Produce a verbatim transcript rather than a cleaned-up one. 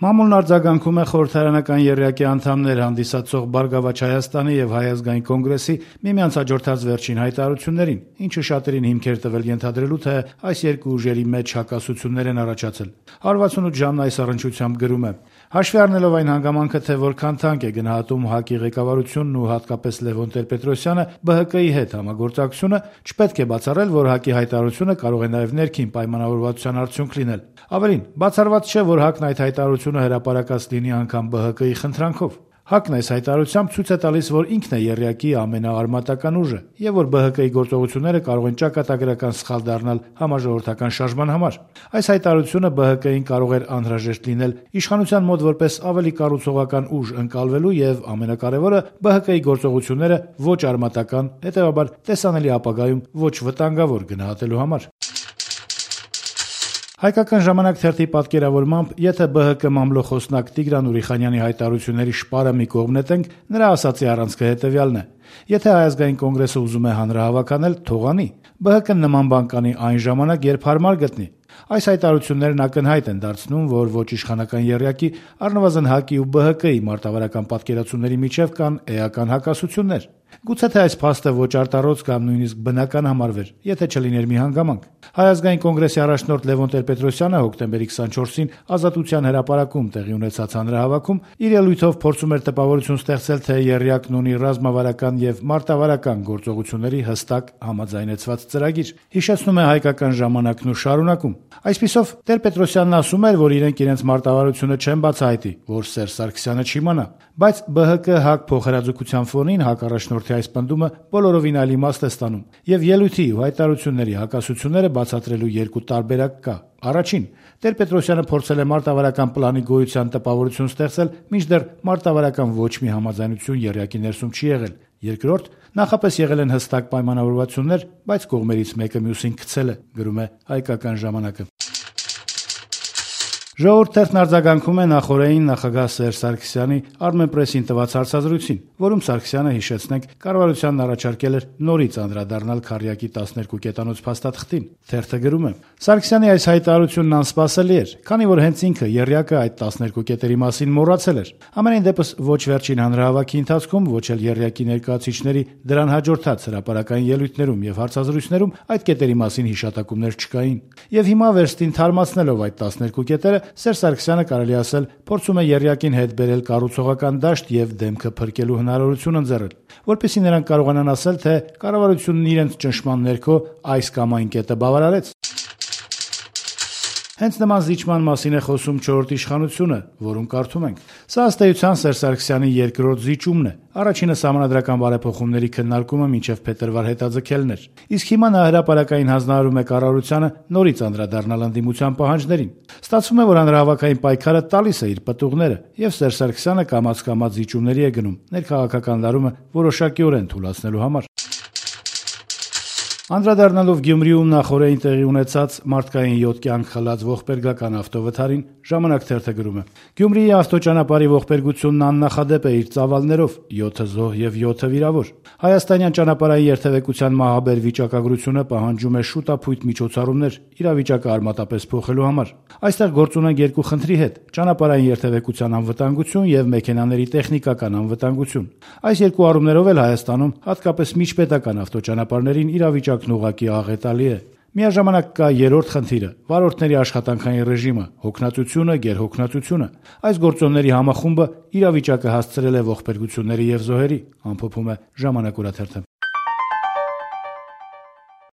Մամուլն արձագանքում է խորհրդարանական եռյակի անդամներ հանդիսացող Բարգավաճ Հայաստանի եւ Հայ ազգային կոնգրեսի միմյանց հաջորդած վերջին հայտարարություններին, ինչը շատերին հիմք էր տվել ենթադրելու, թե այս երկու ուժերի մեջ հակասություններ են առաջացել։ one sixty-eight ժամն այս առնչությամբ գրում է. Հաշվի առնելով այն հանգամանքը, թե որքան թանկ է գնահատում ՀԱԿ-ի ղեկավարությունն ու հատկապես Լևոն Տեր-Պետրոսյանը ԲՀԿ-ի հետ համագործակցությունը, չպետք է բացառել, որ ՀԱԿ-ի հայտարարությունը կարող է նաեւ ներքին պայմանավորվածության արդյունք լինել։ Ավելին, բացառված չէ, որ ՀԱԿ-ն այդ հայտարարությունը հրապարակած լինի անգամ ԲՀԿ-ի խնդրանքով։ ՀԱԿ-ն այս հայտարարությամբ ցույց է տալիս, որ ինքն է եռյակի ամենաարմատական ուժը եւ որ ԲՀԿ-ի գործողությունները կարող են ճակատագրական սխալ դառնալ համաժողովրդական շարժման համար։ Այս հայտարարությունը ԲՀԿ-ին կարող էր անհրաժեշտ լինել իշխանության մոտ որպես ավելի կառուցողական ուժ ընկալվելու եւ ամենակարևորը ԲՀԿ-ի գործողությունները ոչ արմատական, հետեւաբար տեսանելի ապագայում ոչ վտանգավոր գնահատելու համար։ Հայկական ժամանակ թերթի պատկերավորմամբ, եթե ԲՀԿ մամլոխոսնակ Տիգրան Ուրիխանյանի հայտարարությունների շպարը մի կողմ նետենք, նրա ասացի առանցքը հետեւյալն է. եթե Հայ ազգային կոնգրեսը ուզում է հանրահավաք անել, թող անի։ ԲՀԿ-ն նման բան կանի այն ժամանակ, երբ հարմար գտնի։ Այս հայտարարություններն ակնհայտ են դարձնում, որ ոչ իշխանական եռյակի, առնվազն ՀԱԿ-ի ու ԲՀԿ-ի մարտավարական պատկերացումների միջև կան էական հակասություններ։ Գուցե թե այս փաստը ոչ արտառոց կամ նույնիսկ բնական համարվեր, եթե չլիներ մի հանգամանք։ Հայ ազգային կոնգրեսի առաջնորդ Լևոն Տեր-Պետրոսյանը հոկտեմբերի քսանչորսին Ազատության հրապարակում տեղի ունեցած հանրահավաքում իր ելույթով փորձում էր տպավորություն ստեղծել, թե եռյակն ունի ռազմավարական եւ մարտավարական գործողությունների հստակ համաձայնեցված ծրագիր։ Հիշեցնում է Հայկական ժամանակն ու շարունակում. Այսպիսով Տեր-Պետրոսյանն ասում էր, որ իրենք իրենց մարտավարությունը չեն բացահայտի, որ Սերժ Սարգսյանը չիմանա, բայց ԲՀԿ-ՀԱԿ փոխհրաձգության ֆոնին ՀԱԿ առաջնորդի այս պնդումը բոլորովին այլ իմաստ է ստանում, եւ ելույթի ու հայտարարությունների հակասությունները բացատրելու երկու տարբերակ կա։ Առաջին, Տեր-Պետրոսյանը փորձել է մարտավարական պլանի գոյության տպավորություն ստեղծել, մինչդեռ մարտավարական ոչ մի համաձայնություն եռյակի ներսում չի եղել։ Երկրորդ, նախապես եղել են հստակ պայմանավորվածություններ, բայց կողմերից մեկը մյուսին գցել է, գրում է Հայկական ժամանակը։ Ժողովուրդ թերթն արձագանքում է նախօրեին նախագահ Սերժ Սարգսյանի Armenpress-ին տված հարցազրույցին, որում Սարգսյանը, հիշեցնենք, կառավարությանն առաջարկել էր նորից անդրադառնալ Քարյակի տասներկու կետանոց փաստաթղթին։ Թերթը գրում է. Սարգսյանի այս հայտարարությունն անսպասելի էր, քանի որ հենց ինքը եռյակը այդ տասներկու կետերի մասին մոռացել էր։ Ամենայն դեպս ոչ վերջին հանրահավաքի ընթացքում, ոչ էլ եռյակի ներկայացուցիչների դրան հաջորդած հրապարակային ելույթներում եւ հարցազրույցներում այդ կետերի մասին հիշատակումներ չկային։ Եվ հիմա վերստին թարմացնելով այդ տասներկու կետերը, Սերժ Սարգսյանը կարելի ասել փորձում է եռյակին հետ բերել կառուցողական դաշտ եւ դեմքը փրկելու հնարավորություն ընձեռել, որպեսզի նրանք կարողանան ասել, թե կառավարությունն իրենց ճնշման ներքո այս կամ այն կետը բավարարեց։ Հենց նման զիջման մասին է խոսում չորրորդ իշխանությունը, որում կարդում ենք. Սա ըստ էության Սերժ Սարգսյանի երկրորդ զիջումն է։ Առաջինը սահմանադրական բարեփոխումների քննարկումը մինչև փետրվար հետաձգելն էր։ Իսկ հիմա նա հրապարակային հանձնարարում է կառավարությանը նորից անդրադառնալ ընդդիմության պահանջներին։ Ստացվում է, որ հանրահավաքային պայքարը տալիս է իր պտուղները, եւ Սերժ Սարգսյանը կամաց-կամաց զիջումների է գնում ներքաղաքական լարումը որոշակիորեն թուլացնելու համար։ Անդրադառնալով Գյումրիում նախօրեին տեղի ունեցած մարդկային յոթ կյանք խլած ողբերգական ավտովթարին, Ժամանակ թերթը գրում է. Գյումրիի ավտոճանապարհի ողբերգությունն աննախադեպ է իր ծավալներով՝ յոթ զոհ եւ յոթ վիրավոր։ Հայաստանյան ճանապարհային երթևեկության մահաբեր վիճակագրությունը պահանջում է շուտապույտ միջոցառումներ իրավիճակը արմատապես փոխելու համար։ Այստեղ գործ ունենք երկու խնդրի հետ՝ ճանապարհային երթևեկության անվտանգություն եւ մեքենաների տեխնիկական անվտանգություն։ Այս երկու առումներով էլ Հայաստանում, հատկապես միջպետական ավտոճանապարհներին իրավիճակն ուղղակի աղետալի է։ Միաժամանակ կա երրորդ խնդիրը՝ վարորդների աշխատանքային ռեժիմը, հոգնածությունը, գերհոգնածությունը։ Այս գործոնների համախումբը իրավիճակը հասցրել է ողբերգությունների եւ զոհերի, ամփոփում է Ժամանակ օրաթերթը։